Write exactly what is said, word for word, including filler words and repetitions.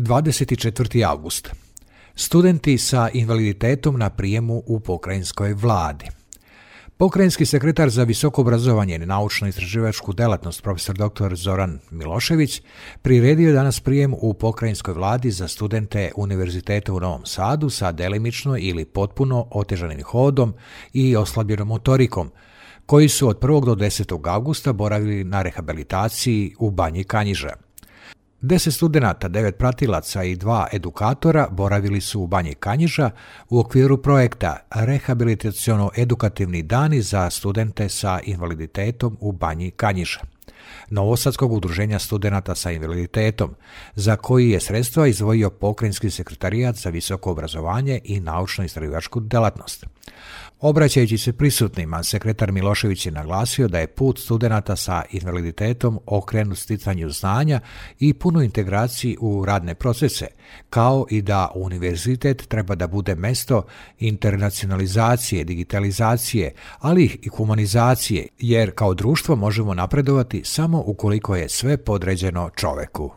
dvadeset četvrti avgust. Studenti sa invaliditetom na prijemu u pokrajinskoj vladi. Pokrajinski sekretar za visoko obrazovanje i naučno-istraživačku delatnost profesor doktor Zoran Milošević priredio je danas prijem u pokrajinskoj vladi za studente Univerziteta u Novom Sadu sa delimično ili potpuno otežanim hodom i oslabljenom motorikom, koji su od prvog do desetog avgusta boravili na rehabilitaciji u Banji Kanjiža. Deset studenata, devet pratilaca i dva edukatora boravili su u Banji Kanjiža u okviru projekta Rehabilitaciono-edukativni dani za studente sa invaliditetom u Banji Kanjiža, Novosadskog udruženja studenata sa invaliditetom, za koji je sredstva izdvojio Pokrajinski sekretarijat za visoko obrazovanje i naučno-istraživačku delatnost. Obraćajući se prisutnima, sekretar Milošević je naglasio da je put studenata sa invaliditetom okrenut sticanju znanja i punu integraciji u radne procese, kao i da univerzitet treba da bude mesto internacionalizacije, digitalizacije, ali i humanizacije, jer kao društvo možemo napredovati samo ukoliko je sve podređeno čoveku.